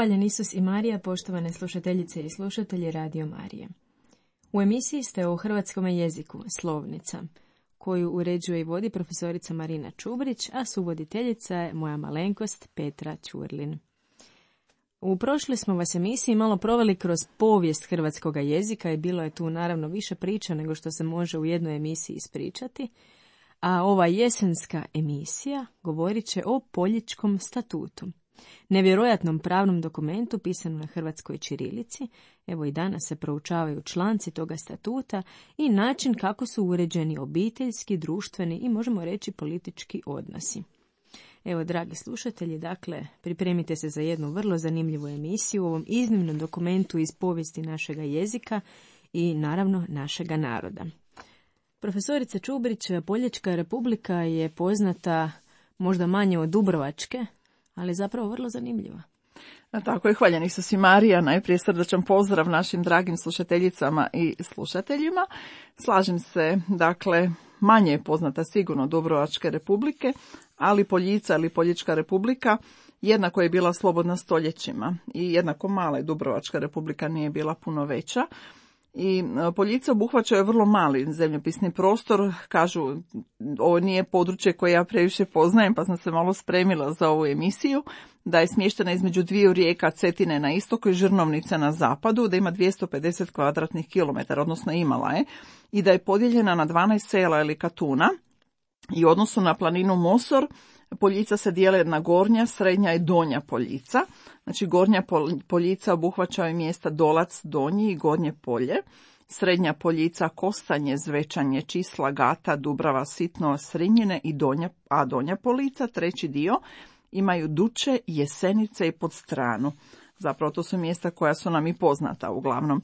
Hvaljen Isus i Marija, poštovane slušateljice i slušatelji Radio Marije. U emisiji ste o hrvatskom jeziku Slovnica, koju uređuje i vodi profesorica Marina Čubrić, a suvoditeljica je moja malenkost Petra Ćurlin. U prošloj smo vas emisiji malo proveli kroz povijest hrvatskoga jezika i bilo je tu naravno više priča nego što se može u jednoj emisiji ispričati, a ova jesenska emisija govorit će o Poljičkom statutu, nevjerojatnom pravnom dokumentu pisanom na hrvatskoj ćirilici. Evo i danas se proučavaju članci toga statuta i način kako su uređeni obiteljski, društveni i možemo reći politički odnosi. Evo, dragi slušatelji, dakle, pripremite se za jednu vrlo zanimljivu emisiju u ovom iznimnom dokumentu iz povijesti našega jezika i naravno našega naroda. Profesorica Čubrić, Poljička republika je poznata možda manje od Dubrovačke, ali zapravo vrlo zanimljiva. Tako je, hvaljen Isus i Marija, najprije srdačan pozdrav našim dragim slušateljicama i slušateljima. Slažem se, dakle, manje je poznata sigurno Dubrovačke republike, ali Poljica ili Poljička republika jednako je bila slobodna stoljećima i jednako mala je Dubrovačka republika, nije bila puno veća. I Poljica obuhvaćaju vrlo mali zemljopisni prostor, kažu ovo nije područje koje ja previše poznajem pa sam se malo spremila za ovu emisiju, da je smještena između dviju rijeka Cetine na istoku i Žrnovnice na zapadu, da ima 250 kvadratnih kilometara, odnosno imala je, i da je podijeljena na 12 sela ili katuna i u odnosu na planinu Mosor Poljica se dijele na gornja, srednja i donja Poljica. Znači gornja Poljica obuhvaćaju mjesta Dolac, Donji i Gornje Polje. Srednja Poljica Kostanje, Zvečanje, Čisla, Gata, Dubrava, Sitno, Srinjine i donja Poljica, treći dio, imaju Duče, Jesenice i Podstranu. Zapravo to su mjesta koja su nam i poznata uglavnom.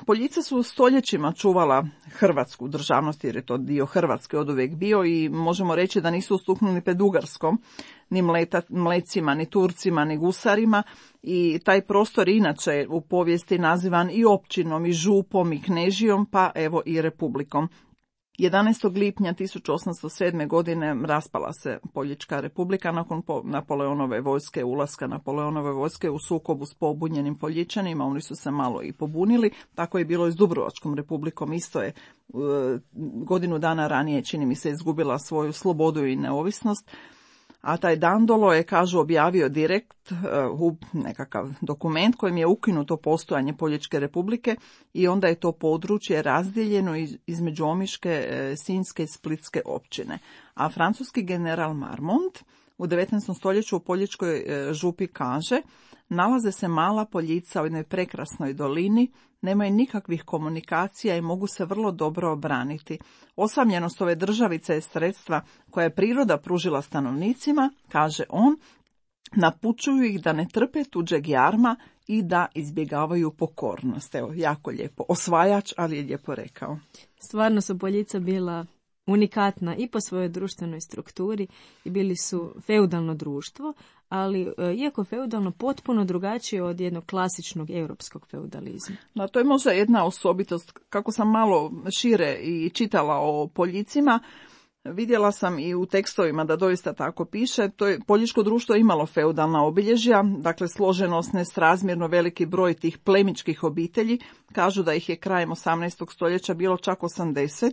Poljica su stoljećima čuvala hrvatsku državnost jer je to dio Hrvatske oduvijek bio i možemo reći da nisu ustuknuli pred Ugarskom, ni Mlecima, ni Turcima, ni Gusarima i taj prostor inače u povijesti nazivan i općinom, i župom, i knežijom, pa evo i republikom. 11. lipnja 1807. godine raspala se Poljička republika nakon Napoleonove vojske, ulaska Napoleonove vojske u sukobu s pobunjenim Poljičanima. Oni su se malo i pobunili, tako je bilo i s Dubrovačkom republikom, isto je godinu dana ranije, čini mi se, izgubila svoju slobodu i neovisnost. A taj Dandolo je, kažu, objavio direkt nekakav dokument kojim je ukinuto postojanje Poljičke republike i onda je to područje razdijeljeno između Omiške, Sinjske i Splitske općine. A francuski general Marmont u 19. stoljeću u Poljičkoj župi kaže: nalaze se mala Poljica u jednoj prekrasnoj dolini, nemaju nikakvih komunikacija i mogu se vrlo dobro obraniti. Osamljenost ove državice je sredstva koje je priroda pružila stanovnicima, kaže on, napučuju ih da ne trpe tuđeg jarma i da izbjegavaju pokornost. Evo, jako lijepo. Osvajač, ali je lijepo rekao. Stvarno su Poljica bila unikatna i po svojoj društvenoj strukturi i bili su feudalno društvo, ali iako feudalno potpuno drugačije od jednog klasičnog europskog feudalizma. Da, to je možda jedna osobitost. Kako sam malo šire i čitala o Poljicima, vidjela sam i u tekstovima da doista tako piše. To je Poljičko društvo imalo feudalna obilježja, dakle složenost, nesrazmjerno veliki broj tih plemičkih obitelji. Kažu da ih je krajem 18. stoljeća bilo čak 80,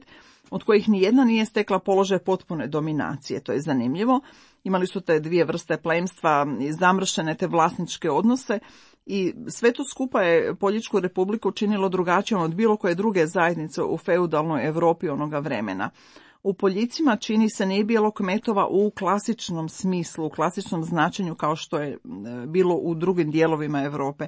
od kojih nijedna nije stekla položaj potpune dominacije. To je zanimljivo. Imali su te dvije vrste plemstva, zamršene te vlasničke odnose i sve to skupa je Poljičku republiku činilo drugačijom od bilo koje druge zajednice u feudalnoj Europi onoga vremena. U Poljicima, čini se, nije bilo kmetova u klasičnom smislu, u klasičnom značenju kao što je bilo u drugim dijelovima Europe.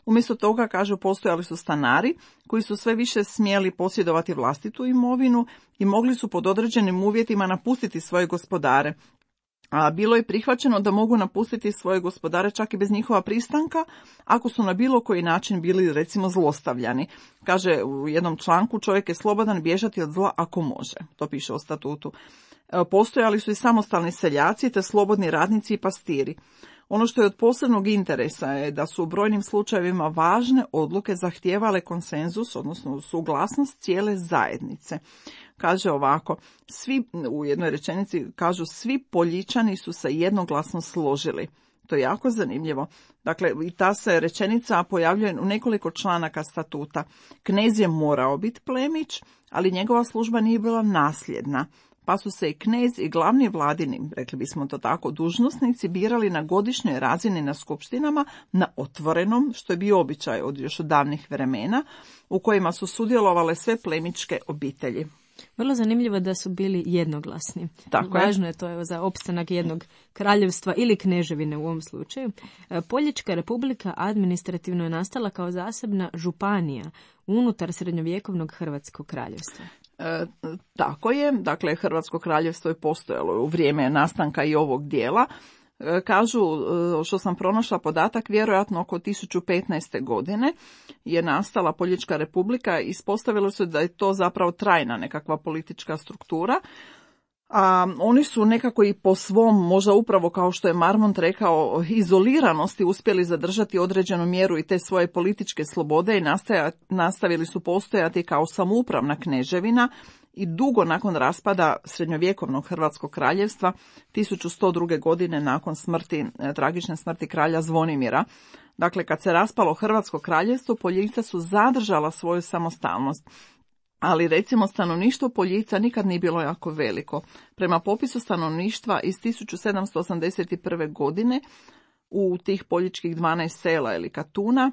Umjesto toga, kažu, postojali su stanari koji su sve više smjeli posjedovati vlastitu imovinu i mogli su pod određenim uvjetima napustiti svoje gospodare. A bilo je prihvaćeno da mogu napustiti svoje gospodare čak i bez njihova pristanka, ako su na bilo koji način bili, recimo, zlostavljani. Kaže u jednom članku: čovjek je slobodan bježati od zla ako može. To piše o statutu. Postojali su i samostalni seljaci te slobodni radnici i pastiri. Ono što je od posebnog interesa je da su u brojnim slučajevima važne odluke zahtijevale konsenzus, odnosno suglasnost cijele zajednice. Kaže ovako, u jednoj rečenici kažu: svi Poljičani su se jednoglasno složili. To je jako zanimljivo. Dakle, i ta se rečenica pojavljuje u nekoliko članaka statuta. Knez je morao biti plemić, ali njegova služba nije bila nasljedna. Pa su se i knez i glavni vladini, rekli bismo to tako, dužnosnici birali na godišnjoj razini na skupštinama, na otvorenom, što je bio običaj još od davnih vremena, u kojima su sudjelovale sve plemičke obitelji. Vrlo zanimljivo da su bili jednoglasni. Tako Važno je to za opstanak jednog kraljevstva ili kneževine u ovom slučaju. Poljička republika administrativno je nastala kao zasebna županija unutar srednjovjekovnog Hrvatskog kraljevstva. Tako je, dakle Hrvatsko kraljevstvo je postojalo u vrijeme nastanka i ovog dijela. Kažu, što sam pronašla podatak, vjerojatno oko 1015. godine je nastala Poljička republika i ispostavilo se da je to zapravo trajna nekakva politička struktura. A oni su nekako i po svom, možda upravo kao što je Marmont rekao, izoliranosti uspjeli zadržati određenu mjeru i te svoje političke slobode i nastavili su postojati kao samoupravna kneževina i dugo nakon raspada srednjovjekovnog Hrvatskog kraljevstva 1102. godine nakon tragične smrti kralja Zvonimira. Dakle, kad se raspalo Hrvatsko kraljevstvo, Poljica su zadržala svoju samostalnost. Ali recimo stanovništvo Poljica nikad nije bilo jako veliko. Prema popisu stanovništva iz 1781. godine u tih poljičkih 12 sela ili katuna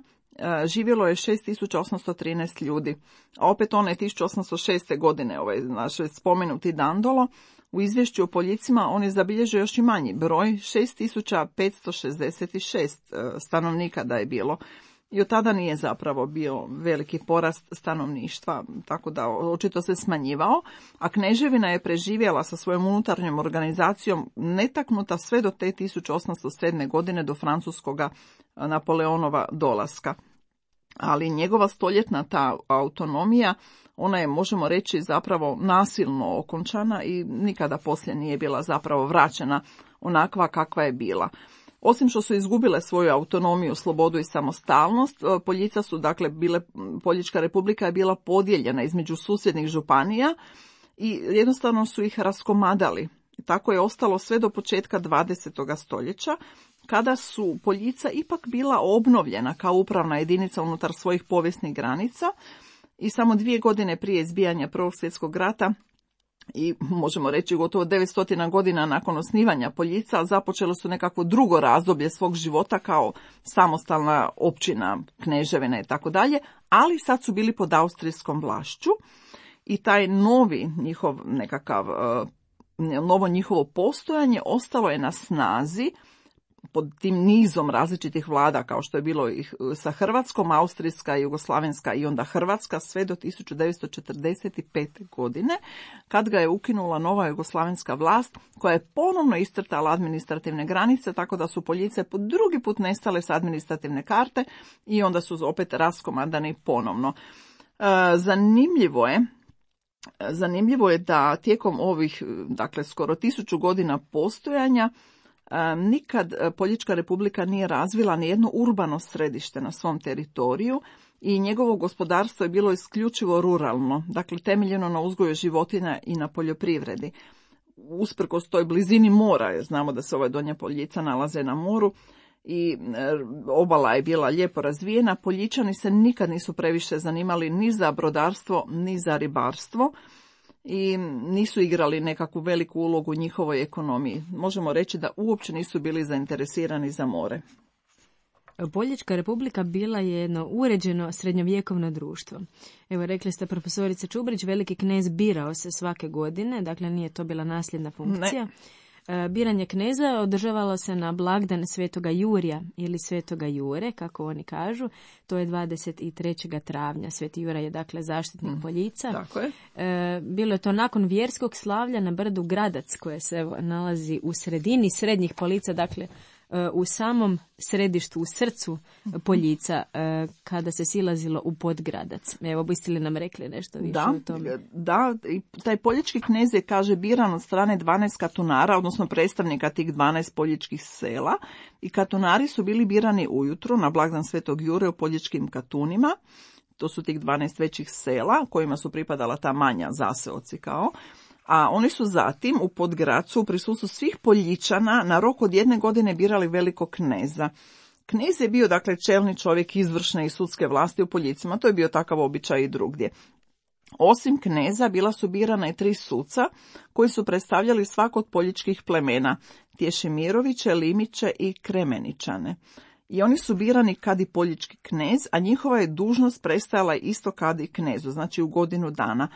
živjelo je 6813 ljudi. A opet one 1806. godine, naš spomenuti Dandolo, u izvješću o Poljicima on je zabilježio još i manji broj, 6566 stanovnika da je bilo. I od tada nije zapravo bio veliki porast stanovništva, tako da očito se smanjivao, a kneževina je preživjela sa svojom unutarnjom organizacijom netaknuta sve do te 1807. godine do francuskoga Napoleonova dolaska. Ali njegova stoljetna ta autonomija, ona je, možemo reći, zapravo nasilno okončana i nikada poslije nije bila zapravo vraćena onakva kakva je bila. Osim što su izgubile svoju autonomiju, slobodu i samostalnost, Poljička republika je bila podijeljena između susjednih županija i jednostavno su ih raskomadali. Tako je ostalo sve do početka 20. stoljeća, kada su Poljica ipak bila obnovljena kao upravna jedinica unutar svojih povijesnih granica i samo 2 godine prije izbijanja Prvog svjetskog rata i možemo reći gotovo 900 godina nakon osnivanja Poljica započelo su nekakvo drugo razdoblje svog života kao samostalna općina, kneževina i tako dalje, ali sad su bili pod austrijskom vlašću i taj novo njihovo postojanje ostalo je na snazi pod tim nizom različitih vlada kao što je bilo ih sa Hrvatskom, Austrijska, Jugoslavenska i onda Hrvatska sve do 1945. godine kad ga je ukinula nova jugoslavenska vlast koja je ponovno iscrtala administrativne granice tako da su Poljice po drugi put nestale s administrativne karte i onda su opet raskomadani ponovno. Zanimljivo je da tijekom ovih, skoro 1000 godina postojanja nikad Poljička republika nije razvila ni jedno urbano središte na svom teritoriju i njegovo gospodarstvo je bilo isključivo ruralno, temeljeno na uzgoju životinja i na poljoprivredi. Usprkos toj blizini mora, jer znamo da se Donja Poljica nalaze na moru i obala je bila lijepo razvijena, Poljičani se nikad nisu previše zanimali ni za brodarstvo, ni za ribarstvo i nisu igrali nekakvu veliku ulogu u njihovoj ekonomiji. Možemo reći da uopće nisu bili zainteresirani za more. Poljička republika bila je jedno uređeno srednjovjekovno društvo. Evo, rekli ste, profesorice Čubrić, veliki knez birao se svake godine, dakle nije to bila nasljedna funkcija. Biranje kneza održavalo se na blagdan Svetoga Jurija ili Svetoga Jure, kako oni kažu. To je 23. travnja. Sveti Jura je zaštitnik Poljica. Tako je. Bilo je to nakon vjerskog slavlja na brdu Gradac, koje se nalazi u sredini srednjih Polica, u samom središtu, u srcu Poljica, kada se silazilo u Podgradac. Evo, biste li nam rekli nešto više o tome? Da, i taj poljički knez je, kaže, biran od strane 12 katunara, odnosno predstavnika tih 12 poljičkih sela. I katunari su bili birani ujutro na blagdan Svetog Jure u poljičkim katunima. To su tih 12 većih sela kojima su pripadala ta manja zaseoci kao. A oni su zatim u Podgracu u prisustvu svih Poljičana na rok od 1 godine birali velikog kneza. Knez je bio dakle čelni čovjek izvršne i sudske vlasti u Poljicima, to je bio takav običaj i drugdje. Osim kneza bila su birana i 3 suca koji su predstavljali svako od poljičkih plemena, Tješimiroviće, Limiće i Kremeničane. I oni su birani kad i poljički knez, a njihova je dužnost prestajala isto kad i knezu, znači u godinu dana.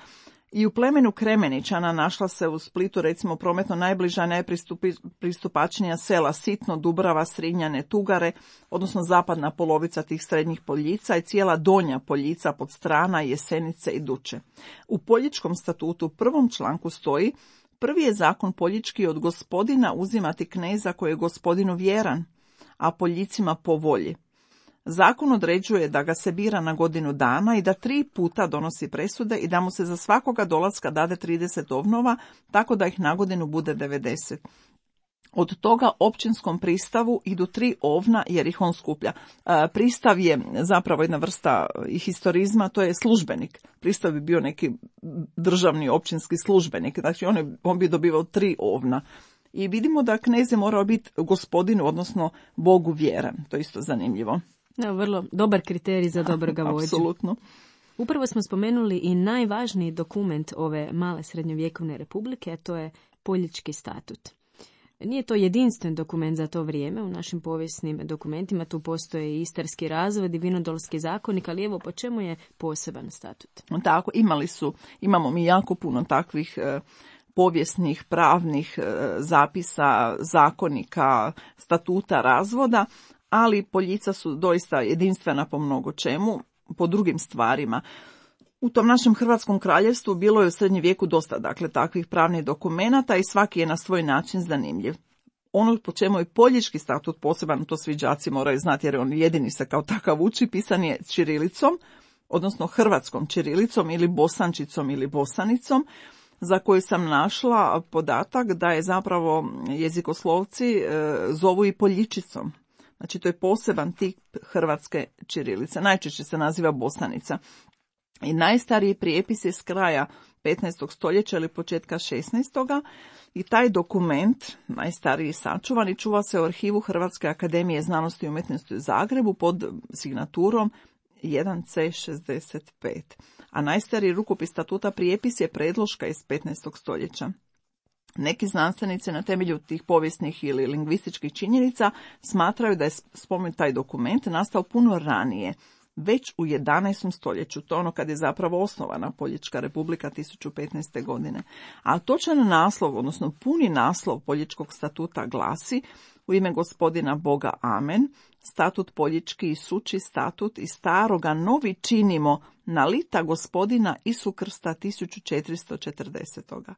I u plemenu Kremeničana našla se u Splitu recimo prometno najbliža, najpristupačnija sela Sitno, Dubrava, Srinjane, Tugare, odnosno zapadna polovica tih srednjih Poljica i cijela donja Poljica Podstrana, Jesenice i Duče. U Poljičkom statutu u 1. članku stoji: prvi je zakon poljički od gospodina uzimati kneza koji je gospodinu vjeran, a Poljicima po volji. Zakon određuje da ga se bira na godinu dana i da 3 puta donosi presude i da mu se za svakoga dolaska dade 30 ovnova, tako da ih na godinu bude 90. Od toga općinskom pristavu idu 3 ovna jer ih on skuplja. Pristav je zapravo jedna vrsta historizma, to je službenik. Pristav bi bio neki državni općinski službenik, znači on bi dobivao 3 ovna. I vidimo da knez je morao biti gospodinu, odnosno Bogu vjeran. To je isto zanimljivo. Da, vrlo dobar kriterij za dobroga vođu. Apsolutno. Upravo smo spomenuli i najvažniji dokument ove male srednjovjekovne republike, a to je Poljički statut. Nije to jedinstven dokument za to vrijeme. U našim povijesnim dokumentima tu postoje i Istarski razvod i Vinodolski zakonik, ali evo po čemu je poseban statut? Tako, imamo mi jako puno takvih povijesnih, pravnih zapisa, zakonika, statuta, razvoda, ali Poljica su doista jedinstvena po mnogo čemu, po drugim stvarima. U tom našem Hrvatskom kraljevstvu bilo je u srednjem vijeku dosta takvih pravnih dokumenata i svaki je na svoj način zanimljiv. Ono po čemu je Poljički statut poseban, to svi đaci moraju znati jer on jedini se kao takav uči, pisan je ćirilicom, odnosno hrvatskom ćirilicom ili bosančicom ili bosanicom, za koju sam našla podatak da je zapravo jezikoslovci zovu i poljičicom. Znači to je poseban tip hrvatske ćirilice. Najčešće se naziva bosanica. I najstariji prijepis je s kraja 15. stoljeća ili početka 16. I taj dokument, najstariji sačuvan, i čuva se u arhivu Hrvatske akademije znanosti i umjetnosti u Zagrebu pod signaturom 1C65. A najstariji rukopis statuta prijepis je predloška iz 15. stoljeća. Neki znanstvenici na temelju tih povijesnih ili lingvističkih činjenica smatraju da je spomenut taj dokument nastao puno ranije, već u 11. stoljeću, to ono kad je zapravo osnovana Poljička republika 1015. godine. A točan naslov, odnosno puni naslov Poljičkog statuta glasi: u ime gospodina Boga amen, statut Poljički i suči statut i staroga novi činimo na lita gospodina Isu Krsta 1440.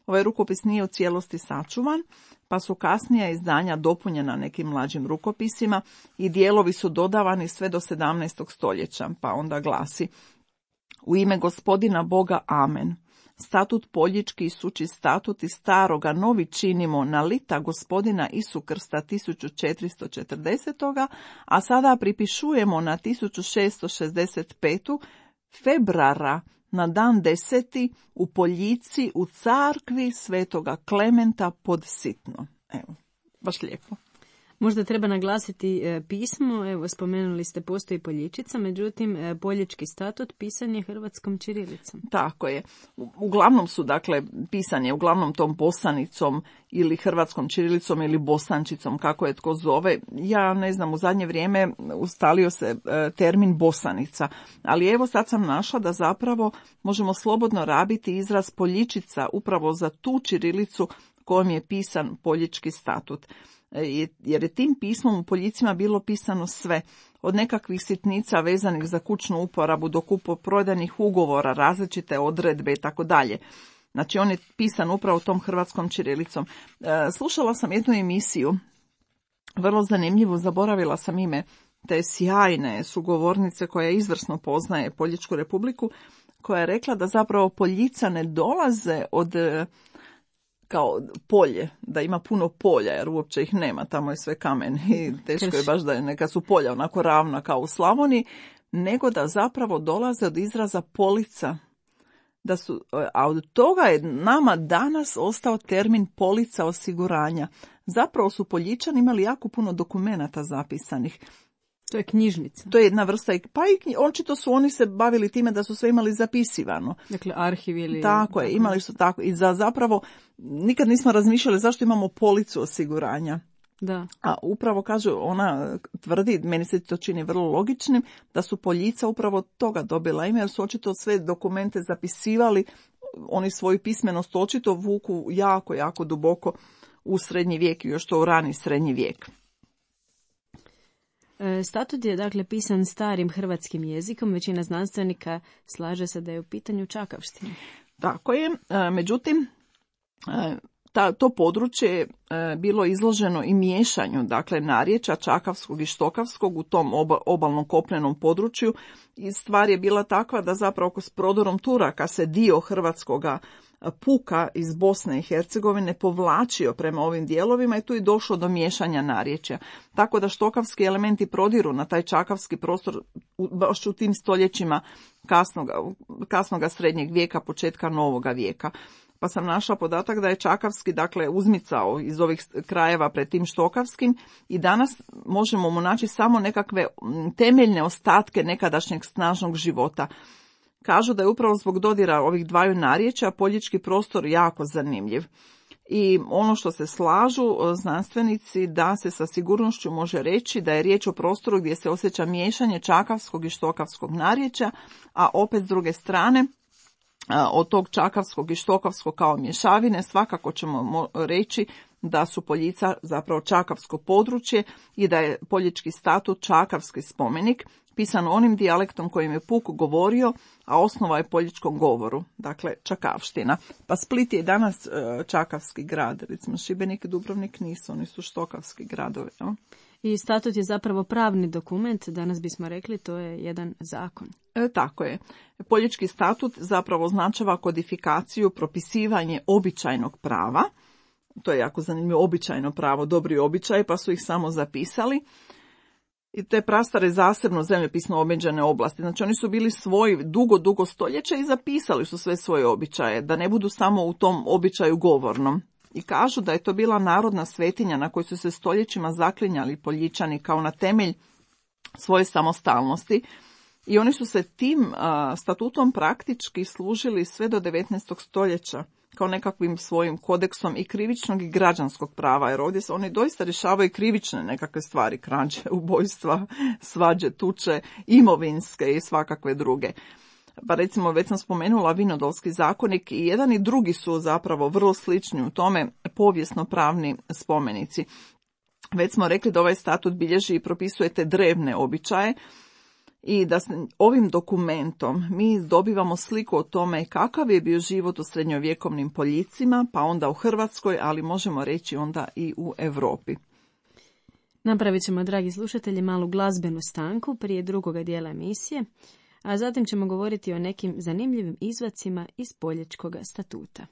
Ovaj rukopis nije u cijelosti sačuvan, pa su kasnija izdanja dopunjena nekim mlađim rukopisima i dijelovi su dodavani sve do 17. stoljeća, pa onda glasi: u ime gospodina Boga amen. Statut Poljički i suči statut i staroga novi činimo na lita gospodina Isu Krsta 1440. A sada pripišujemo na 1665. februara na dan 10. u Poljici u carkvi svetoga Klementa pod Sitno. Evo, baš lijepo. Možda treba naglasiti pismo, evo spomenuli ste postoji Poljičica, međutim Poljički statut pisan je hrvatskom ćirilicom. Tako je. Uglavnom su, pisan je uglavnom tom bosanicom ili hrvatskom ćirilicom ili bosančicom, kako je tko zove. Ja ne znam, u zadnje vrijeme ustalio se termin bosanica, ali evo sad sam našla da zapravo možemo slobodno rabiti izraz Poljičica upravo za tu ćirilicu kojom je pisan Poljički statut. Jer je tim pismom u Poljicima bilo pisano sve, od nekakvih sitnica vezanih za kućnu uporabu do kupoprodajnih ugovora, različite odredbe i tako dalje. Znači on je pisan upravo tom hrvatskom ćirilicom. Slušala sam jednu emisiju, vrlo zanimljivu, zaboravila sam ime te sjajne sugovornice koja izvrsno poznaje Poljičku republiku, koja je rekla da zapravo Poljica ne dolaze od kao polje, da ima puno polja, jer uopće ih nema, tamo je sve kamen i teško je baš da je neka su polja onako ravna kao u Slavoniji, nego da zapravo dolaze od izraza polica, a od toga je nama danas ostao termin polica osiguranja. Zapravo su Poljičani imali jako puno dokumenata zapisanih. To je knjižnica. To je jedna vrsta, pa i očito su oni se bavili time da su sve imali zapisivano. Dakle, arhiv ili... Tako je, imali su tako. I zapravo nikad nismo razmišljali zašto imamo policu osiguranja. Da. A upravo kaže, ona tvrdi, meni se to čini vrlo logičnim, da su Poljica upravo toga dobila ime, jer su očito sve dokumente zapisivali, oni svoju pismenost očito vuku jako, jako duboko u srednji vijek i još to u rani srednji vijek. Statut je dakle pisan starim hrvatskim jezikom, većina znanstvenika slaže se da je u pitanju čakavština. Tako je, međutim, to područje je bilo izloženo i miješanju, dakle narječja čakavskog i štokavskog u tom obalnom kopnenom području i stvar je bila takva da zapravo s prodorom Turaka se dio hrvatskoga puka iz Bosne i Hercegovine povlačio prema ovim dijelovima i tu je došlo do miješanja narječja. Tako da štokavski elementi prodiru na taj čakavski prostor baš u tim stoljećima kasnoga srednjeg vijeka, početka novoga vijeka. Pa sam našla podatak da je čakavski, dakle, uzmicao iz ovih krajeva pred tim štokavskim i danas možemo mu naći samo nekakve temeljne ostatke nekadašnjeg snažnog života. Kažu da je upravo zbog dodira ovih dvaju narječja poljički prostor jako zanimljiv. I ono što se slažu znanstvenici da se sa sigurnošću može reći da je riječ o prostoru gdje se osjeća miješanje čakavskog i štokavskog narječja, a opet s druge strane od tog čakavskog i štokavskog kao mješavine svakako ćemo reći da su Poljica zapravo čakavsko područje i da je Poljički statut čakavski spomenik, pisan onim dijalektom kojim je puk govorio, a osnova je poljičkom govoru, dakle čakavština. Pa Split je danas čakavski grad, recimo Šibenik i Dubrovnik nisu, oni su štokavski gradovi. No? I statut je zapravo pravni dokument, danas bismo rekli, to je jedan zakon. Tako je. Poljički statut zapravo označava kodifikaciju, propisivanje običajnog prava. To je jako zanimljivo, običajno pravo, dobri običaj, pa su ih samo zapisali. I te prastare zasebno zemljopisno omeđene oblasti. Znači oni su bili svoji dugo stoljeća i zapisali su sve svoje običaje, da ne budu samo u tom običaju govornom. I kažu da je to bila narodna svetinja na kojoj su se stoljećima zaklinjali Poljičani kao na temelj svoje samostalnosti. I oni su se tim statutom praktički služili sve do 19. stoljeća kao nekakvim svojim kodeksom i krivičnog i građanskog prava, jer ovdje oni doista rješavaju krivične nekakve stvari, krađe, ubojstva, svađe, tuče, imovinske i svakakve druge. Pa recimo, već sam spomenula Vinodolski zakonik i jedan i drugi su zapravo vrlo slični u tome povijesno-pravni spomenici. Već smo rekli da ovaj statut bilježi i propisuje te drevne običaje, i da ovim dokumentom mi dobivamo sliku o tome kakav je bio život u srednjovjekovnim Poljicima, pa onda u Hrvatskoj, ali možemo reći onda i u Europi. Napravit ćemo, dragi slušatelji, malu glazbenu stanku prije drugoga dijela emisije, a zatim ćemo govoriti o nekim zanimljivim izvacima iz Poljičkog statuta.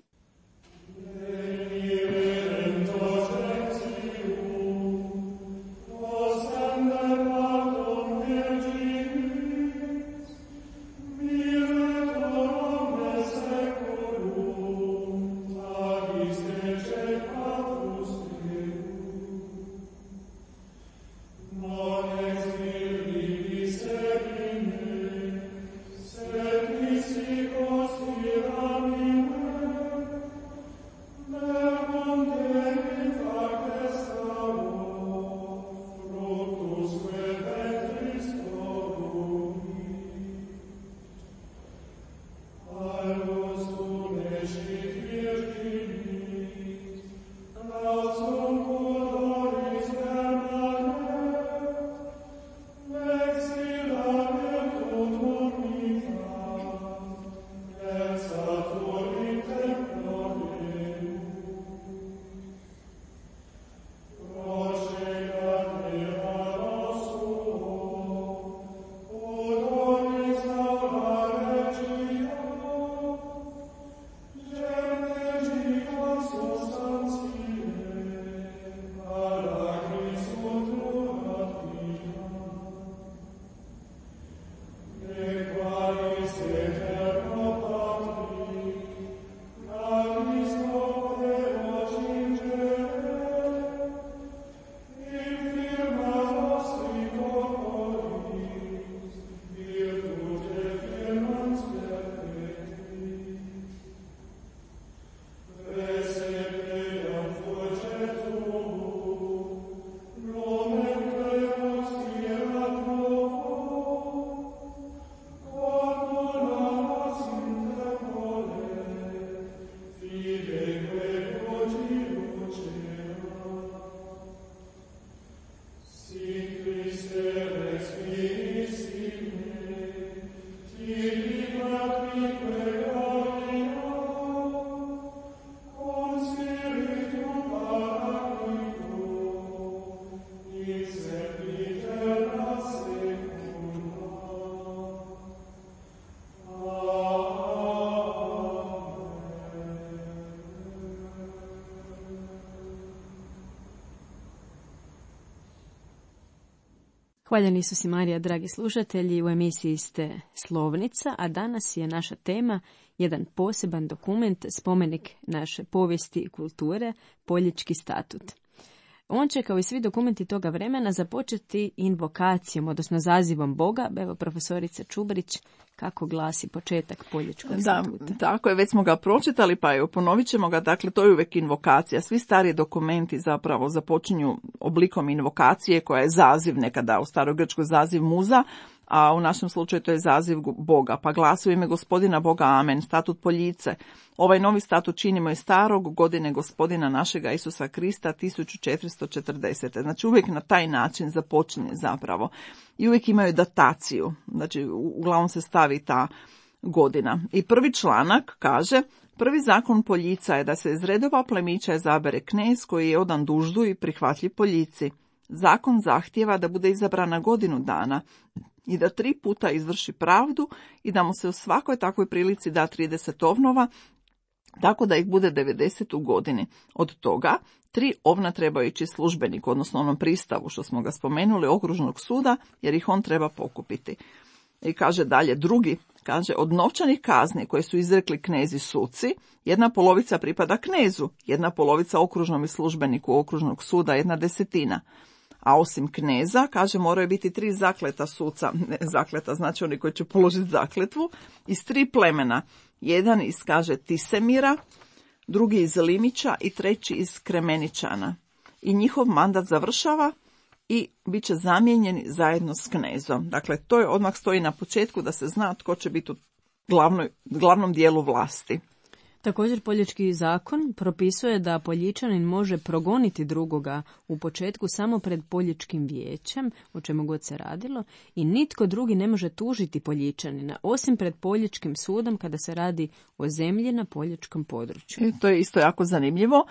Hvaljeni Isus i Marija, dragi slušatelji, u emisiji ste Slovnica, a danas je naša tema jedan poseban dokument, spomenik naše povijesti i kulture, Poljički statut. On će, kao i svi dokumenti toga vremena, započeti invokacijom, odnosno zazivom Boga. Evo, profesorica Čubrić, kako glasi početak Poljičkog statuta? Da, tako je, već smo ga pročitali, pa evo, ponovit ćemo ga. Dakle, to je uvijek invokacija. Svi stari dokumenti zapravo započinju oblikom invokacije, koja je zaziv, nekada u starogrčkoj zaziv muza, a u našem slučaju to je zaziv Boga. Pa glasi: u ime Gospodina Boga, amen. Statut Poljice. Ovaj novi statut činimo je starog, godine Gospodina našega Isusa Krista 1440. Znači uvijek na taj način započinje zapravo. I uvijek imaju dataciju. Znači uglavnom se stavi ta godina. I prvi članak kaže: prvi zakon Poljica je da se iz redova plemića izabere knez koji je odan duždu i prihvatljiv Poljici. Zakon zahtijeva da bude izabran na godinu dana i da 3 puta izvrši pravdu i da mu se u svakoj takvoj prilici da 30 ovnova, tako da ih bude 90 u godini. Od toga 3 ovna trebaju ići službeniku, odnosno onom pristavu što smo ga spomenuli, okružnog suda, jer ih on treba pokupiti. I kaže dalje, drugi, kaže: od novčanih kazni koje su izrekli knezi suci, 1/2 pripada knezu, 1/2 okružnom i službeniku okružnog suda, 1/10. A osim kneza, kaže, moraju biti 3 zakleta suca, ne zakleta, znači oni koji će položiti zakletvu, iz 3 plemena. Jedan iz, kaže, Tisemira, drugi iz Limića i treći iz Kremeničana. I njihov mandat završava i bit će zamijenjeni zajedno s knezom. Dakle, to je odmah stoji na početku da se zna tko će biti u glavnom dijelu vlasti. Također Poljički zakon propisuje da Poljičanin može progoniti drugoga u početku samo pred Poljičkim vijećem, o čemu god se radilo, i nitko drugi ne može tužiti Poljičanina, osim pred Poljičkim sudom kada se radi o zemlji na Poljičkom području. To je isto jako zanimljivo.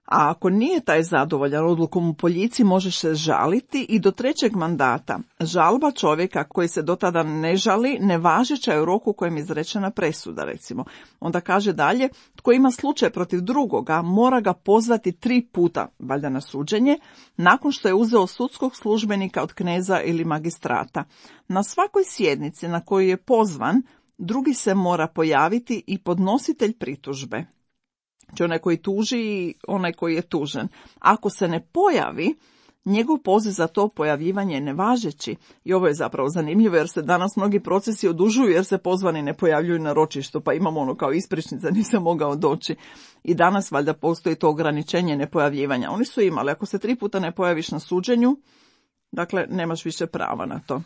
A ako nije taj zadovoljan odlukom u Poljici, može se žaliti i do 3. mandata. Žalba čovjeka koji se do tada ne žali nevažeća je u roku u kojem je izrečena presuda, recimo. Onda kaže dalje, tko ima slučaj protiv drugoga, mora ga pozvati 3 puta, valjda na suđenje, nakon što je uzeo sudskog službenika od kneza ili magistrata. Na svakoj sjednici na koju je pozvan, drugi se mora pojaviti i podnositelj pritužbe. Znači onaj koji tuži i onaj koji je tužen. Ako se ne pojavi, njegov poziv za to pojavljivanje je nevažeći. I ovo je zapravo zanimljivo jer se danas mnogi procesi odužuju jer se pozvani ne pojavljuju na ročištu, pa imamo ono kao ispričnica, nisam mogao doći. I danas valjda postoji to ograničenje nepojavljivanja. Oni su imali, ako se 3 puta ne pojaviš na suđenju, dakle nemaš više prava na to.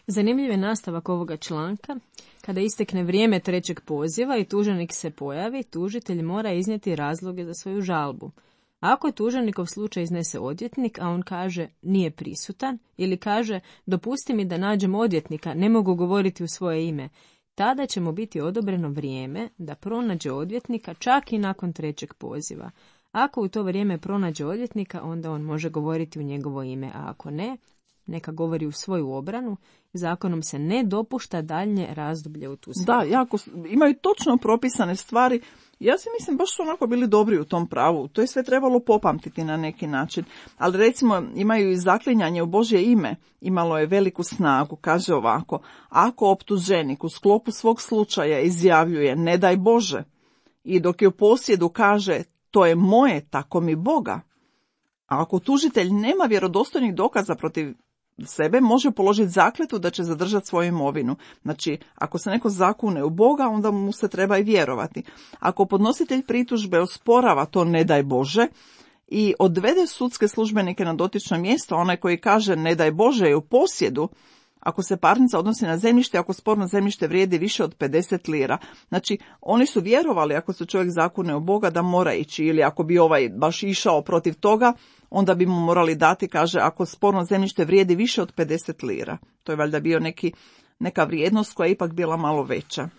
Zanimljiv je nastavak ovoga članka. Kada istekne vrijeme 3. poziva i tuženik se pojavi, tužitelj mora iznijeti razloge za svoju žalbu. Ako je tuženikov slučaj iznese odvjetnik, a on kaže nije prisutan, ili kaže dopusti mi da nađem odvjetnika, ne mogu govoriti u svoje ime, tada će mu biti odobreno vrijeme da pronađe odvjetnika čak i nakon 3. poziva. Ako u to vrijeme pronađe odvjetnika, onda on može govoriti u njegovo ime, a ako ne, neka govori u svoju obranu. Zakonom se ne dopušta daljnje razdoblje u tu svrhu. Da, jako, imaju točno propisane stvari. Ja si mislim, baš su onako bili dobri u tom pravu. To je sve trebalo popamtiti na neki način. Ali recimo imaju i zaklinjanje u Božje ime. Imalo je veliku snagu. Kaže ovako: ako optuženik u sklopu svog slučaja izjavljuje ne daj Bože i dok je u posjedu kaže to je moje, tako mi Boga. A ako tužitelj nema vjerodostojnih dokaza protiv sebe, može položiti zakletvu da će zadržati svoju imovinu. Znači, ako se neko zakune u Boga, onda mu se treba i vjerovati. Ako podnositelj pritužbe osporava to ne daj Bože i odvede sudske službenike na dotično mjesto, onaj koji kaže ne daj Bože je u posjedu, ako se parnica odnosi na zemljište, ako sporno zemljište vrijedi više od 50 lira. Znači, oni su vjerovali, ako se čovjek zakune u Boga, da mora ići, ili ako bi ovaj baš išao protiv toga, onda bi mu morali dati, kaže, ako sporno zemljište vrijedi više od 50 lira. To je valjda bio neka vrijednost koja je ipak bila malo veća.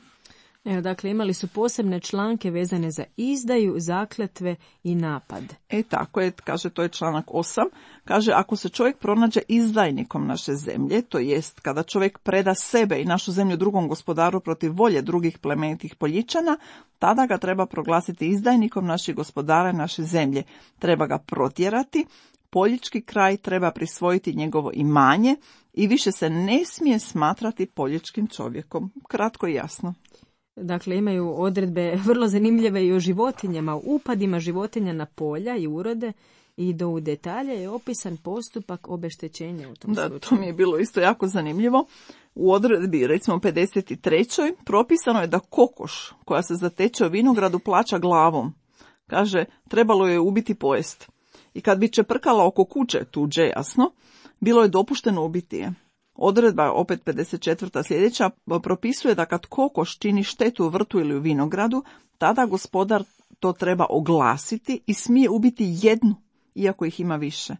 Evo, dakle, imali su posebne članke vezane za izdaju, zakletve i napad. Tako je, kaže, to je članak 8. Kaže, ako se čovjek pronađe izdajnikom naše zemlje, to jest kada čovjek preda sebe i našu zemlju drugom gospodaru protiv volje drugih plemenitih Poljičana, tada ga treba proglasiti izdajnikom naših gospodara naše zemlje. Treba ga protjerati, poljički kraj treba prisvojiti njegovo imanje i više se ne smije smatrati poljičkim čovjekom. Kratko i jasno. Dakle, imaju odredbe vrlo zanimljive i o životinjama, upadima životinja na polja i urode i do u detalje je opisan postupak obeštećenja u tom slučaju. To mi je bilo isto jako zanimljivo. U odredbi, recimo 53. propisano je da kokoš koja se zateče u vinogradu plaća glavom. Kaže, trebalo je ubiti pojest. I kad bi čeprkala oko kuće, tuđe jasno, bilo je dopušteno ubiti je. Odredba, opet 54. sljedeća, propisuje da kad kokoš čini štetu u vrtu ili u vinogradu, tada gospodar to treba oglasiti i smije ubiti jednu, iako ih ima više.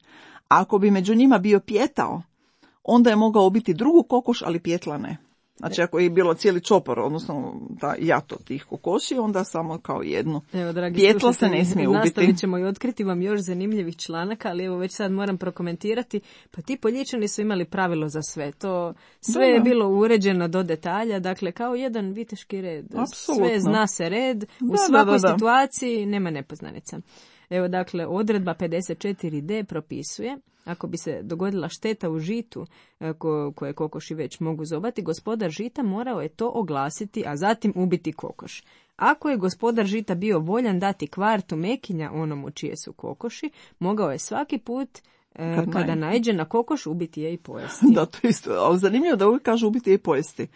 A ako bi među njima bio pijetao, onda je mogao ubiti drugu kokoš, ali pijetla ne. Znači, ako je bilo cijeli čopor, odnosno ta jato tih kokoši, onda samo kao jednu. Evo, dragi pijetla se ne smije ubiti. Nastavit ćemo i otkriti vam još zanimljivih članaka, ali evo već sad moram prokomentirati. Pa ti Poljičani su imali pravilo za sve. To sve je bilo uređeno do detalja, dakle kao jedan viteški red. Apsolutno. Sve zna se red, u svakoj situaciji nema nepoznanica. Evo, dakle, odredba 54D propisuje, ako bi se dogodila šteta u žitu koje kokoši već mogu zobati, gospodar žita morao je to oglasiti, a zatim ubiti kokoš. Ako je gospodar žita bio voljan dati kvartu mekinja onomu čije su kokoši, mogao je svaki put kada naiđe na kokoš ubiti je i pojesti. Da, to isto, ali zanimljivo da uvijek kažu ubiti je i pojesti.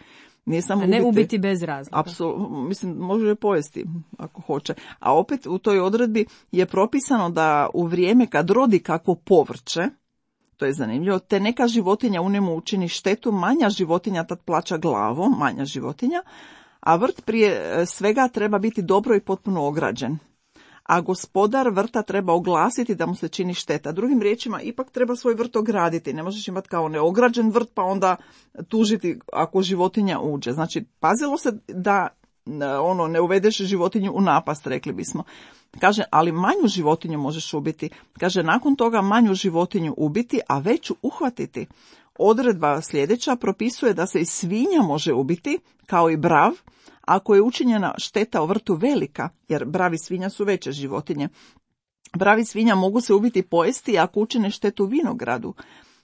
Nije samo ne ubiti bez razloga. Apsolutno, mislim, može je pojesti ako hoće. A opet u toj odredbi je propisano da u vrijeme kad rodi kakvo povrće, to je zanimljivo, te neka životinja u njemu učini štetu, manja životinja tad plaća glavom, manja životinja, a vrt prije svega treba biti dobro i potpuno ograđen. A gospodar vrta treba oglasiti da mu se čini šteta. Drugim riječima, ipak treba svoj vrt ograditi. Ne možeš imati kao neograđen vrt pa onda tužiti ako životinja uđe. Znači, pazilo se da ne uvedeš životinju u napast, rekli bismo. Kaže, ali manju životinju možeš ubiti. Kaže, nakon toga manju životinju ubiti, a veću uhvatiti. Odredba sljedeća propisuje da se i svinja može ubiti, kao i brav, ako je učinjena šteta u vrtu velika, jer bravi svinja su veće životinje. Bravi svinja mogu se ubiti pojesti ako učine štetu u vinogradu.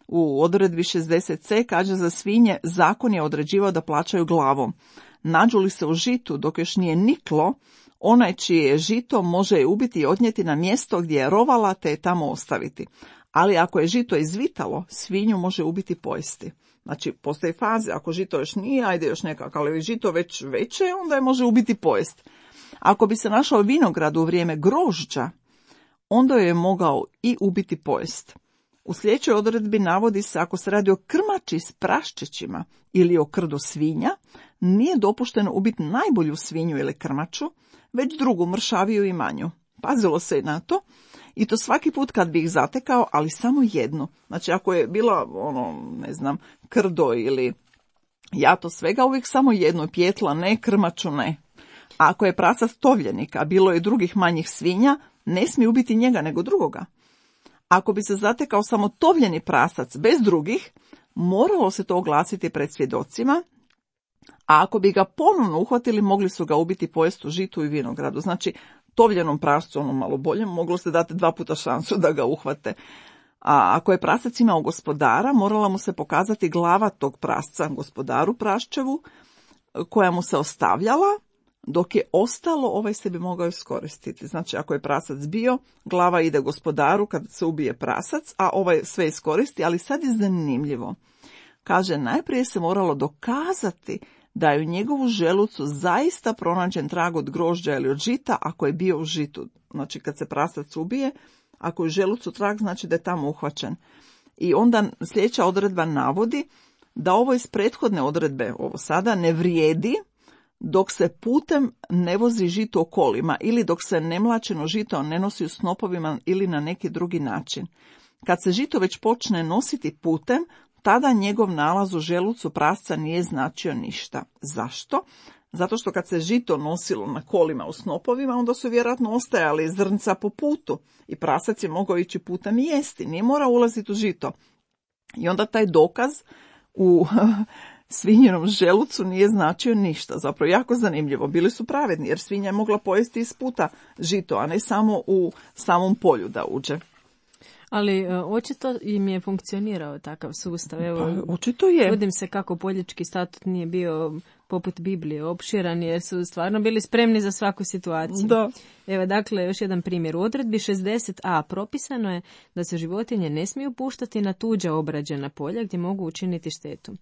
U odredbi 60c kaže za svinje zakon je određivao da plaćaju glavom. Nađu li se u žitu dok još nije niklo, onaj čije je žito može je ubiti i odnijeti na mjesto gdje je rovala te je tamo ostaviti. Ali ako je žito izvitalo, svinju može ubiti pojesti. Znači, postoje faze, ako žito još nije, ajde još nekako, ali žito već veće, onda je može ubiti pojest. Ako bi se našao vinograd u vrijeme grožđa, onda je mogao i ubiti pojest. U sljedećoj odredbi navodi se ako se radi o krmači s praščićima ili o krdu svinja, nije dopušteno ubiti najbolju svinju ili krmaču, već drugu, mršaviju i manju. Pazilo se i na to. I to svaki put kad bi ih zatekao, ali samo jednu. Znači, ako je bila, krdo ili jato svega, uvijek samo jedno, pjetla ne, krmaču ne. A ako je prasac tovljenik, a bilo je drugih manjih svinja, ne smije ubiti njega nego drugoga. Ako bi se zatekao samo tovljeni prasac bez drugih, moralo se to oglasiti pred svjedocima, a ako bi ga ponovno uhvatili, mogli su ga ubiti pojestu žitu i vinogradu. Znači, tovljenom prascu, malo bolje, moglo se dati 2 puta šansu da ga uhvate. A ako je prasac imao gospodara, morala mu se pokazati glava tog prasca, gospodaru praščevu, koja mu se ostavljala, dok je ostalo, ovaj se bi mogao iskoristiti. Znači, ako je prasac bio, glava ide gospodaru kad se ubije prasac, a ovaj sve iskoristi, ali sad je zanimljivo. Kaže, najprije se moralo dokazati da je u njegovu želucu zaista pronađen trag od grožđa ili od žita ako je bio u žitu. Znači, kad se prasac ubije, ako je u želucu trag, znači da je tamo uhvaćen. I onda sljedeća odredba navodi da ovo iz prethodne odredbe, ovo sada, ne vrijedi dok se putem ne vozi žito kolima ili dok se nemlačeno žito ne nosi u snopovima ili na neki drugi način. Kad se žito već počne nositi putem, tada njegov nalaz u želucu prasca nije značio ništa. Zašto? Zato što kad se žito nosilo na kolima u snopovima, onda su vjerojatno ostajali zrnca po putu i prasac je mogao ići putem i jesti, nije morao ulaziti u žito. I onda taj dokaz u svinjenom želucu nije značio ništa. Zapravo jako zanimljivo. Bili su pravedni jer svinja je mogla pojesti iz puta žito, a ne samo u samom polju da uđe. Ali očito im je funkcionirao takav sustav. Evo, pa, očito je. Čudim se kako Poljički statut nije bio poput Biblije opširan, jer su stvarno bili spremni za svaku situaciju. Da. Evo, dakle, još jedan primjer. U odredbi 60a propisano je da se životinje ne smiju puštati na tuđa obrađena polja gdje mogu učiniti štetu.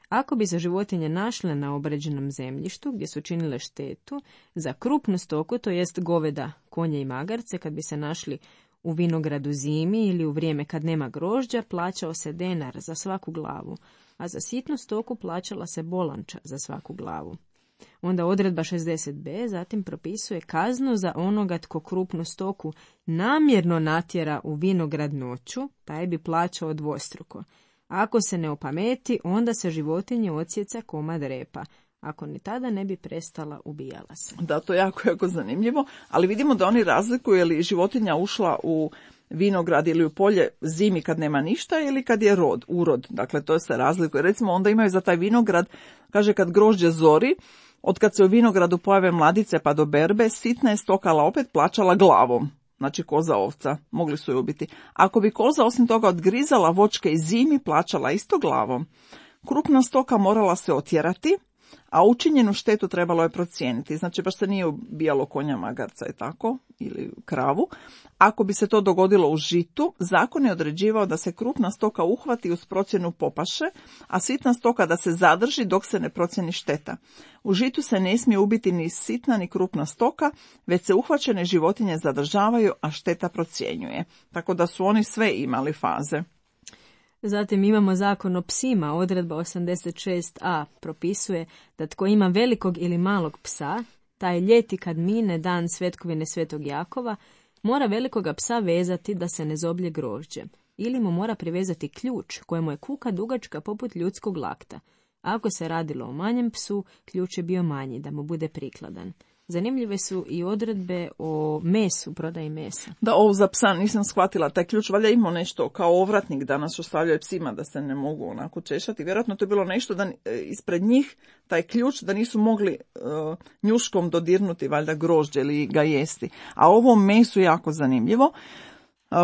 Ako bi se životinje našle na obrađenom zemljištu gdje su činile štetu, za krupnu stoku, to jest goveda, konje i magarce, kad bi se našli u vinogradu zimi ili u vrijeme kad nema grožđa, plaćao se denar za svaku glavu, a za sitnu stoku plaćala se bolanča za svaku glavu. Onda odredba 60b zatim propisuje kaznu za onoga tko krupnu stoku namjerno natjera u vinograd noću, taj bi plaćao dvostruko. Ako se ne opameti, onda se životinje odsjeca komad repa. Ako ni tada ne bi prestala, ubijala se. Da, to je jako zanimljivo, ali vidimo da oni razlikuju je li životinja ušla u vinograd ili u polje zimi kad nema ništa ili kad je urod. Dakle, to se razlikuje. Recimo, onda imaju za taj vinograd, kaže kad grožđe zori, od kad se u vinogradu pojave mladice pa do berbe, sitna je stokala opet plaćala glavom. Znači koza, ovca, mogli su ju ubiti. Ako bi koza osim toga odgrizala voćke i zimi, plaćala isto glavom. Krupna stoka morala se otjerati, a učinjenu štetu trebalo je procijeniti. Znači baš se nije ubijalo konja, magarca i tako, ili kravu. Ako bi se to dogodilo u žitu, zakon je određivao da se krupna stoka uhvati uz procjenu popaše, a sitna stoka da se zadrži dok se ne procijeni šteta. U žitu se ne smije ubiti ni sitna ni krupna stoka, već se uhvaćene životinje zadržavaju, a šteta procjenjuje. Tako da su oni sve imali faze. Zatim imamo zakon o psima. Odredba 86a propisuje da tko ima velikog ili malog psa, taj ljeti kad mine dan svetkovine Svetog Jakova, mora velikoga psa vezati da se ne zoblje grožđe. Ili mu mora privezati ključ kojemu je kuka dugačka poput ljudskog lakta. Ako se radilo o manjem psu, ključ je bio manji da mu bude prikladan. Zanimljive su i odredbe o mesu, prodaji mesa. Da, ovo za psa nisam shvatila. Taj ključ valjda imao nešto kao ovratnik danas ostavljaju psima da se ne mogu onako češati. Vjerojatno to je bilo nešto da ispred njih taj ključ da nisu mogli njuškom dodirnuti valjda grožđe ili ga jesti. A ovo mesu je jako zanimljivo.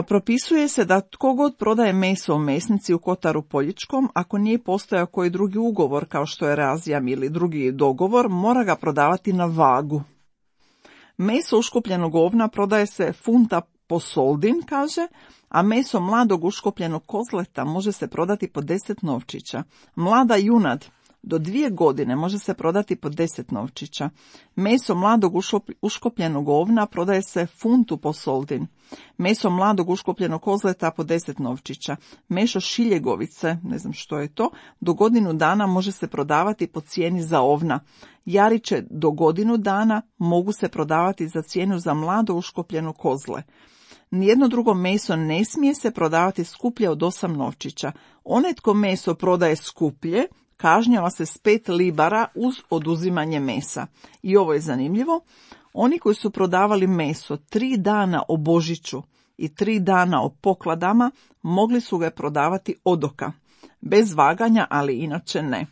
Propisuje se da tko god prodaje meso u mesnici u Kotaru Poljičkom, ako nije postojao koji drugi ugovor kao što je razjam ili drugi dogovor, mora ga prodavati na vagu. Meso uškopljenog ovna prodaje se funta po soldin, kaže, a meso mladog uškopljenog kozleta može se prodati po 10 novčića. Mlada junad do 2 godine može se prodati po 10 novčića. Meso mladog uškopljenog ovna prodaje se funtu po soldin. Meso mladog uškopljenog kozleta po 10 novčića. Meso šiljegovice, ne znam što je to, do godinu dana može se prodavati po cijeni za ovna. Jariće do godinu dana mogu se prodavati za cijenu za mlado uškopljeno kozle. Nijedno drugo meso ne smije se prodavati skuplje od 8 novčića. Onaj tko meso prodaje skuplje, kažnjava se s 5 libara uz oduzimanje mesa. I ovo je zanimljivo. Oni koji su prodavali meso 3 dana o Božiću i 3 dana o pokladama, mogli su ga prodavati odoka. Bez vaganja, ali inače ne.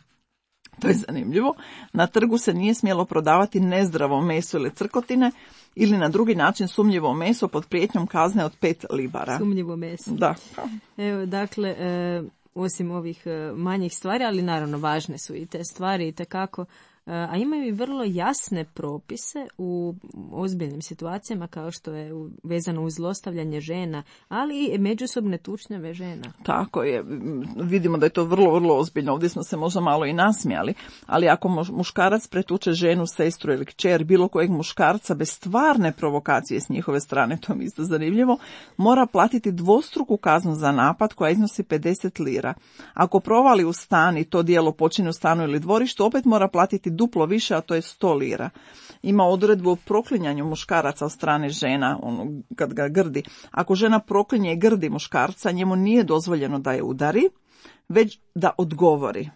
To je zanimljivo. Na trgu se nije smjelo prodavati nezdravo meso ili crkotine ili na drugi način sumnjivo meso pod prijetnjom kazne od 5 libara. Sumnjivo meso. Da. Evo, dakle, osim ovih manjih stvari, ali naravno važne su i te stvari itekako, a imaju i vrlo jasne propise u ozbiljnim situacijama kao što je vezano uz zlostavljanje žena, ali i međusobne tučnjave žena. Tako je, vidimo da je to vrlo ozbiljno, ovdje smo se možda malo i nasmijali, ali ako muškarac pretuče ženu, sestru ili kćer, bilo kojeg muškarca bez stvarne provokacije s njihove strane, to mi isto zanimljivo, mora platiti dvostruku kaznu za napad koja iznosi 50 lira. Ako provali u stan i to djelo počini u stanu ili dvorištu, opet mora platiti duplo više, a to je 100 lira. Ima odredbu o proklinjanju muškaraca od strane žena, kad ga grdi. Ako žena proklinje i grdi muškarca, njemu nije dozvoljeno da je udari, već da odgovori.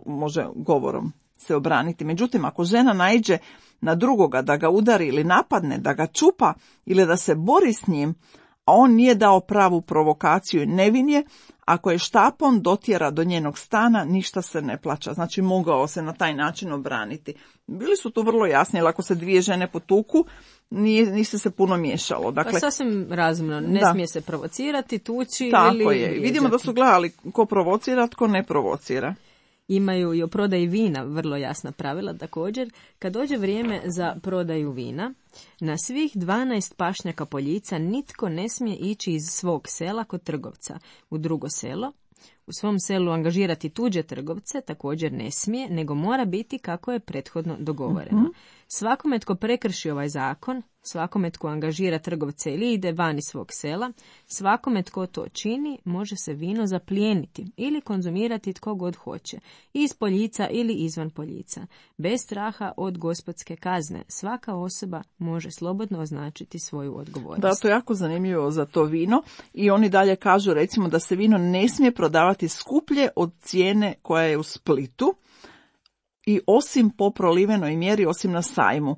Može govorom se obraniti. Međutim, ako žena naiđe na drugoga da ga udari ili napadne, da ga čupa ili da se bori s njim, a on nije dao pravu provokaciju i nevin je, ako je štapom dotjera do njenog stana, ništa se ne plaća. Znači, mogao se na taj način obraniti. Bili su tu vrlo jasni, jer ako se dvije žene potuku, niste se puno miješalo. Dakle, pa sasvim razumno, ne smije se provocirati, tući tako ili... Tako je. Jeđati. Vidimo da su gledali ko provocira, tko ne provocira. Imaju i o prodaji vina vrlo jasna pravila također. Kad dođe vrijeme za prodaju vina, na svih 12 pašnjaka poljica nitko ne smije ići iz svog sela kod trgovca u drugo selo. U svom selu angažirati tuđe trgovce također ne smije, nego mora biti kako je prethodno dogovoreno. Svakome tko prekrši ovaj zakon, svakome tko angažira trgovce ili ide van iz svog sela, svakome tko to čini, može se vino zaplijeniti ili konzumirati tko god hoće, iz poljica ili izvan poljica. Bez straha od gospodske kazne, svaka osoba može slobodno označiti svoju odgovornost. Da, to je jako zanimljivo za to vino i oni dalje kažu recimo da se vino ne smije prodavati skuplje od cijene koja je u Splitu, i osim po prolivenoj mjeri, osim na sajmu,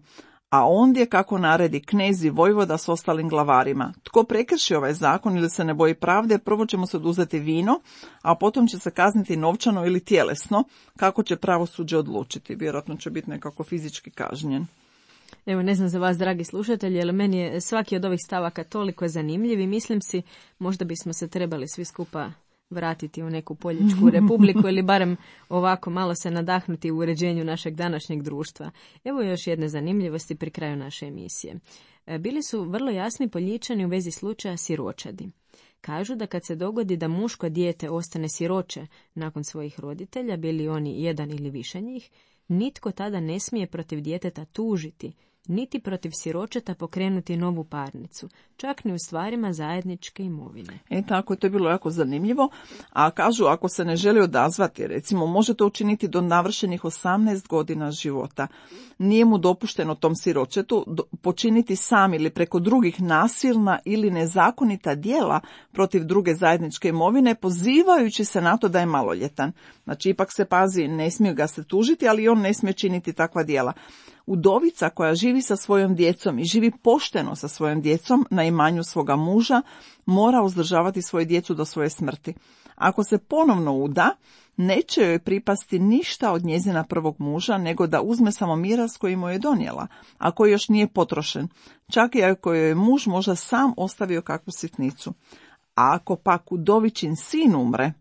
a ondje kako naredi knez i vojvoda s ostalim glavarima. Tko prekrši ovaj zakon ili se ne boji pravde, prvo će mu se oduzeti vino, a potom će se kazniti novčano ili tjelesno, kako će pravosuđe odlučiti. Vjerojatno će biti nekako fizički kažnjen. Evo, ne znam za vas, dragi slušatelji, ali meni je svaki od ovih stavaka toliko zanimljiv i mislim si, možda bismo se trebali svi skupa vratiti u neku poljičku republiku ili barem ovako malo se nadahnuti u uređenju našeg današnjeg društva. Evo još jedne zanimljivosti pri kraju naše emisije. Bili su vrlo jasni Poljičani u vezi slučaja siročadi. Kažu da kad se dogodi da muško dijete ostane siroče nakon svojih roditelja, bili oni jedan ili više njih, nitko tada ne smije protiv djeteta tužiti, niti protiv siročeta pokrenuti novu parnicu, čak ni u stvarima zajedničke imovine. Tako, to je bilo jako zanimljivo. A kažu, ako se ne želi odazvati, recimo, može to učiniti do navršenih 18 godina života. Nije mu dopušteno tom siročetu počiniti sam ili preko drugih nasilna ili nezakonita djela protiv druge zajedničke imovine, pozivajući se na to da je maloljetan. Znači, ipak se pazi, ne smije ga se tužiti, ali on ne smije činiti takva djela. Udovica koja živi sa svojom djecom i živi pošteno sa svojom djecom na imanju svoga muža, mora uzdržavati svoju djecu do svoje smrti. Ako se ponovno uda, neće joj pripasti ništa od njezina prvog muža, nego da uzme samo miras koji mu je donijela, a koji još nije potrošen, čak i ako joj je muž možda sam ostavio kakvu sitnicu. A ako pak udovičin sin umre,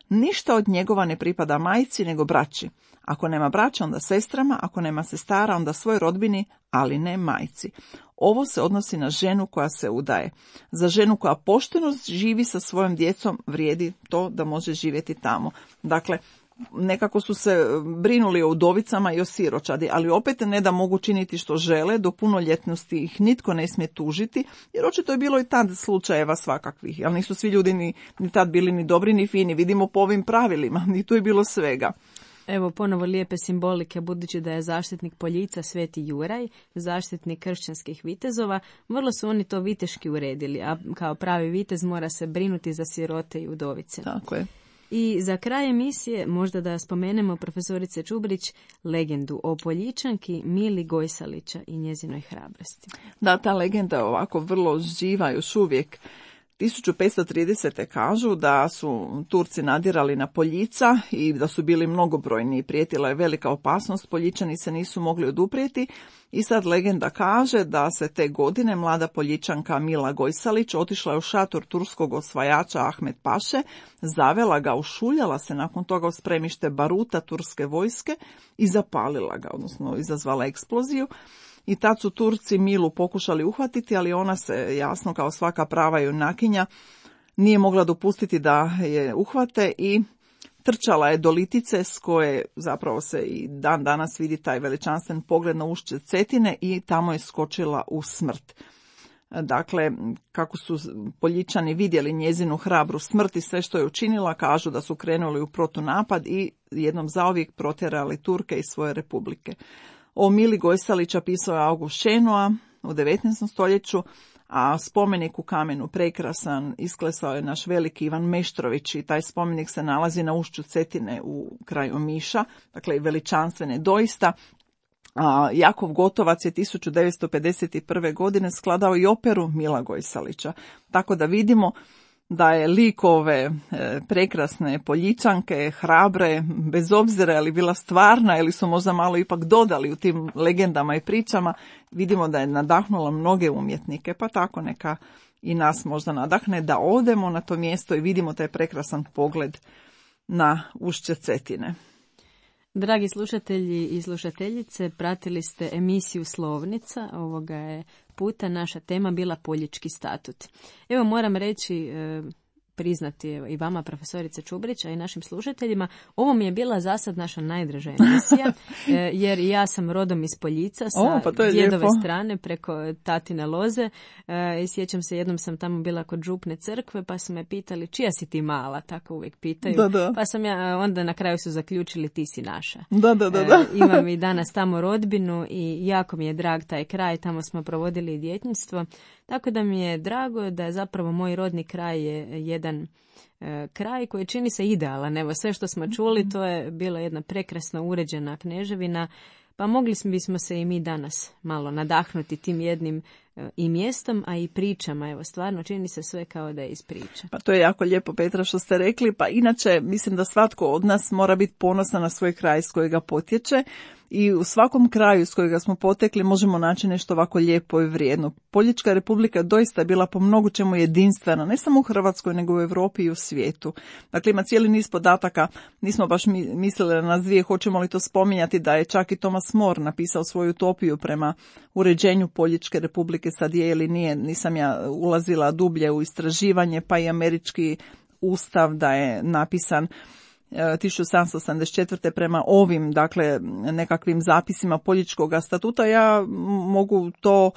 ništa od njegova ne pripada majci nego braći. Ako nema braća, onda sestrama, ako nema sestara, onda svoj rodbini, ali ne majci. Ovo se odnosi na ženu koja se udaje. Za ženu koja pošteno živi sa svojom djecom vrijedi to da može živjeti tamo. Dakle, nekako su se brinuli o udovicama i o siročadi, ali opet ne da mogu činiti što žele, do punoljetnosti ih nitko ne smije tužiti, jer očito je bilo i tad slučajeva svakakvih, ali nisu svi ljudi ni tad bili ni dobri ni fini, vidimo po ovim pravilima, i tu je bilo svega. Evo ponovo lijepe simbolike, budući da je zaštitnik poljica Sveti Juraj, zaštitnik kršćanskih vitezova, vrlo su oni to viteški uredili, a kao pravi vitez mora se brinuti za sirote i udovice. Tako je. I za kraj emisije možda da spomenemo profesorice Čubrić legendu o Poljičanki Mili Gojsalića i njezinoj hrabrosti. Da, ta legenda je ovako vrlo živa još uvijek. 1530. kažu da su Turci nadirali na Poljica i da su bili mnogobrojni i prijetila je velika opasnost, Poljičani se nisu mogli oduprijeti i sad legenda kaže da se te godine mlada Poljičanka Mila Gojsalić otišla je u šator turskog osvajača Ahmed Paše, zavela ga, ušuljala se nakon toga u spremište baruta turske vojske i zapalila ga, odnosno izazvala eksploziju. I tad su Turci Milu pokušali uhvatiti, ali ona se, jasno kao svaka prava junakinja, nije mogla dopustiti da je uhvate i trčala je do litice s koje zapravo se i dan danas vidi taj veličanstven pogled na ušće Cetine i tamo je skočila u smrt. Dakle, kako su Poljičani vidjeli njezinu hrabru smrt i sve što je učinila, kažu da su krenuli u protunapad i jednom zauvijek protjerali Turke iz svoje republike. O Mili Gojsalića pisao je August Šenoa u 19. stoljeću, a spomenik u kamenu prekrasan isklesao je naš veliki Ivan Meštrović i taj spomenik se nalazi na ušću Cetine u kraju Omiša, dakle i veličanstvene doista. A Jakov Gotovac je 1951. godine skladao i operu Mila Gojsalića. Tako da vidimo da je lik ove prekrasne Poljičanke, hrabre, bez obzira je li bila stvarna ili su možda malo ipak dodali u tim legendama i pričama, vidimo da je nadahnula mnoge umjetnike, pa tako neka i nas možda nadahne da odemo na to mjesto i vidimo taj prekrasan pogled na ušće Cetine. Dragi slušatelji i slušateljice, pratili ste emisiju Slovnica. Ovoga je puta naša tema bila Poljički statut. Evo moram reći, priznati i vama, profesorice Čubrić, a i našim slušateljima, ovo mi je bila zasad naša najdraža emisija, jer ja sam rodom iz Poljica sa djedove strane preko tatine loze. I sjećam se, jednom sam tamo bila kod župne crkve, pa su me pitali čija si ti mala, tako uvijek pitaju. Da. Pa sam ja, onda na kraju su zaključili ti si naša. Da. Imam i danas tamo rodbinu i jako mi je drag taj kraj, tamo smo provodili i djetinjstvo. Tako da mi je drago da je zapravo moj rodni kraj je jedan kraj koji čini se idealan. Evo, sve što smo čuli, to je bila jedna prekrasno uređena kneževina, pa mogli bismo se i mi danas malo nadahnuti tim jednim i mjestom, a i pričama. Evo, stvarno čini se sve kao da je iz priča. Pa to je jako lijepo, Petra, što ste rekli. Pa inače, mislim da svatko od nas mora biti ponosan na svoj kraj s kojega potječe. I u svakom kraju s kojega smo potekli možemo naći nešto ovako lijepo i vrijedno. Poljička republika doista je bila po mnogo čemu jedinstvena, ne samo u Hrvatskoj, nego u Europi i u svijetu. Dakle, ima cijeli niz podataka, nismo baš mislili na nas dvije, hoćemo li to spominjati, da je čak i Thomas More napisao svoju utopiju prema uređenju Poljičke republike, sad je ili nije, nisam ja ulazila dublje u istraživanje, pa i američki ustav da je napisan 1774. prema ovim, dakle, nekakvim zapisima Poljičkog statuta. Ja mogu to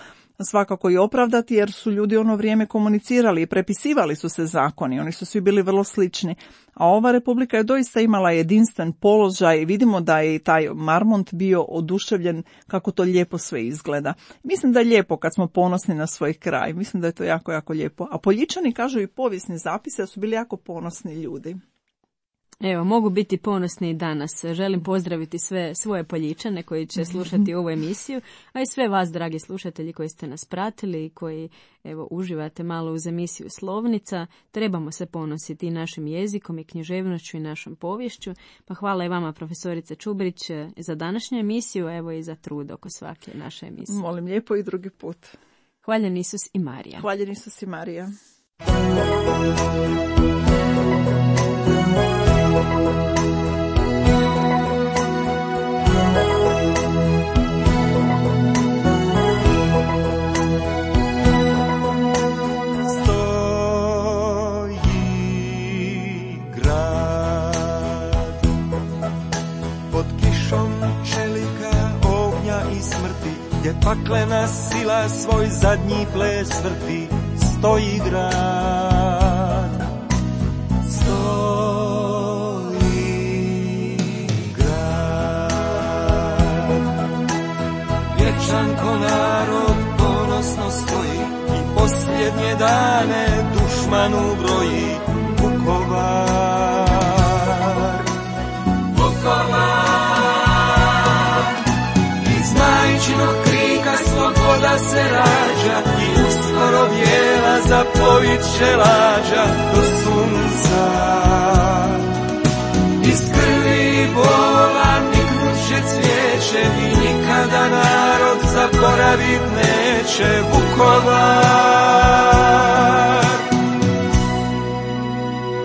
svakako i opravdati, jer su ljudi ono vrijeme komunicirali i prepisivali su se zakoni, oni su svi bili vrlo slični. A ova republika je doista imala jedinstven položaj i vidimo da je i taj Marmont bio oduševljen kako to lijepo sve izgleda. Mislim da je lijepo kad smo ponosni na svoj kraj, mislim da je to jako, jako lijepo. A Poljičani kažu i povijesni zapise da su bili jako ponosni ljudi. Evo, mogu biti ponosni i danas. Želim pozdraviti sve svoje Poljičane koji će slušati ovu emisiju, a i sve vas, dragi slušatelji, koji ste nas pratili i koji, evo, uživate malo uz emisiju Slovnica. Trebamo se ponositi i našim jezikom i književnošću i našom poviješću. Pa hvala i vama, profesorice Čubrić, za današnju emisiju, evo i za trud oko svake naše emisije. Molim lijepo i drugi put. Hvaljen Isus i Marija. Hvaljen Isus i Marija. Gdje paklena sila svoj zadnji ples vrti, stoji grad. Stoji grad. Vječan ko narod ponosno stoji i posljednje dane dušmanu broji. Vukovar, Vukovar, iz majčinog krika sloboda se rađa i uskoro bijela zapovit će lađa do sunca. Iz krvi i bola niknut će cvijeće i nikada narod zaboravit neće Vukovar.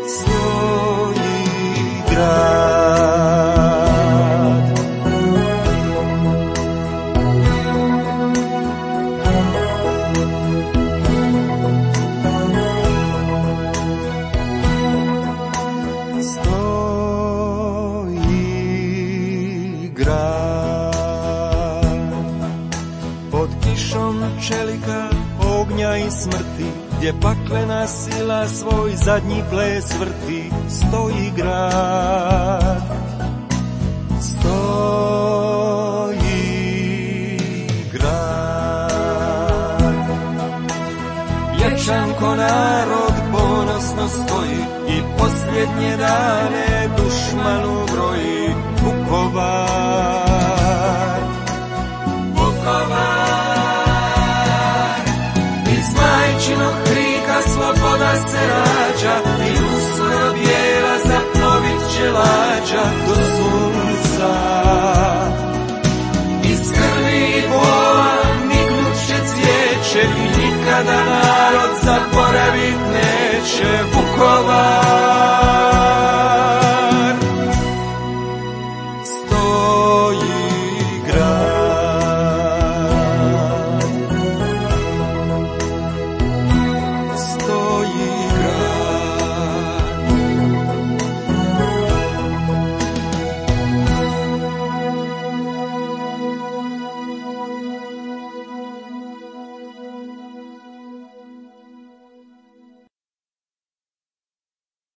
Stoji grad. Čelika, ognja i smrti, gdje paklena sila svoj zadnji ples vrti, stoji grad. Stoji grad. Vječan ko narod ponosno stoji i posljednje dane dušmanu broji. Vukovar, Hvala